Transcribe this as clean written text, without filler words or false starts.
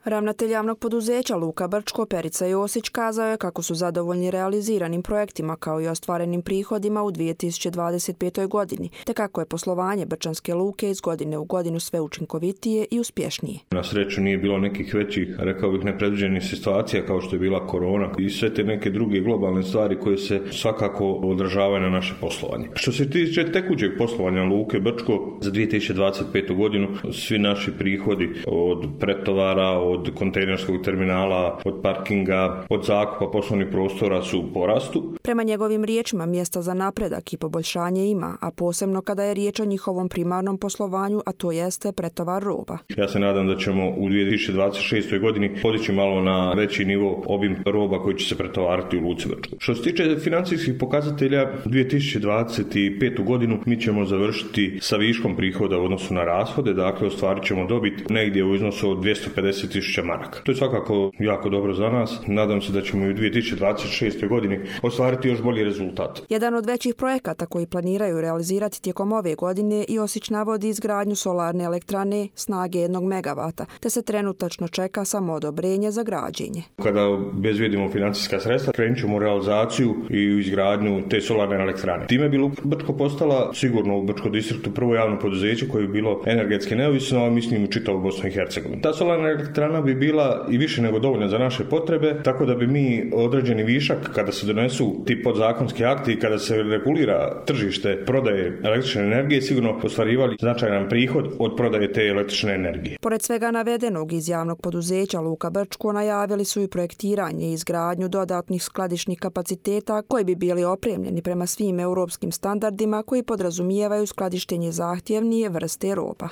Ravnatelj javnog poduzeća Luka Brčko Perica Josić kazao je kako su zadovoljni realiziranim projektima kao i ostvarenim prihodima u 2025. godini, te kako je poslovanje Brčanske luke iz godine u godinu sve učinkovitije i uspješnije. Na sreću nije bilo nekih većih, rekao bih, nepredviđenih situacija kao što je bila korona i sve te neke druge globalne stvari koje se svakako odražavaju na naše poslovanje. Što se tiče tekućeg poslovanja Luke Brčko za 2025. godinu, svi naši prihodi od pretovara, od kontejnerskog terminala, od parkinga, od zakupa poslovnih prostora su u porastu. Prema njegovim riječima mjesta za napredak i poboljšanje ima, a posebno kada je riječ o njihovom primarnom poslovanju, a to jeste pretovar roba. Ja se nadam da ćemo u 2026. godini podići malo na veći nivo obim roba koji će se pretovariti u Luci Brčko. Što se tiče financijskih pokazatelja, 2025. godinu mi ćemo završiti sa viškom prihoda u odnosu na rashode, dakle ostvarit ćemo dobit negdje u iznosu od 250.000 maraka. To je svakako jako dobro za nas. Nadam se da ćemo i u 2026. godini ostvariti još bolji rezultat. Jedan od većih projekata koji planiraju realizirati tijekom ove godine i Osić navodi izgradnju solarne elektrane snage 1 megavata, te se trenutačno čeka samo odobrenje za građenje. Kada obezbijedimo financijska sredstva, krenut ćemo u realizaciju i u izgradnju te solarne elektrane. Time bi Luka Brčko postala sigurno u Brčko distriktu prvo javno poduzeće koje bi bilo energetski neovisno, a mislim u čitavu Bosnu i Hercegovinu. Ta solarna elektrana bi bila i više nego dovoljna za naše potrebe, tako da bi mi određeni višak kada se donesu ti podzakonski akti i kada se regulira tržište prodaje električne energije, sigurno ostvarivali značajan prihod od prodaje te električne energije. Pored svega navedenog iz javnog poduzeća Luka Brčko najavili su i projektiranje i izgradnju dodatnih skladišnih kapaciteta koji bi bili opremljeni prema svim europskim standardima koji podrazumijevaju skladištenje zahtjevnije vrste roba.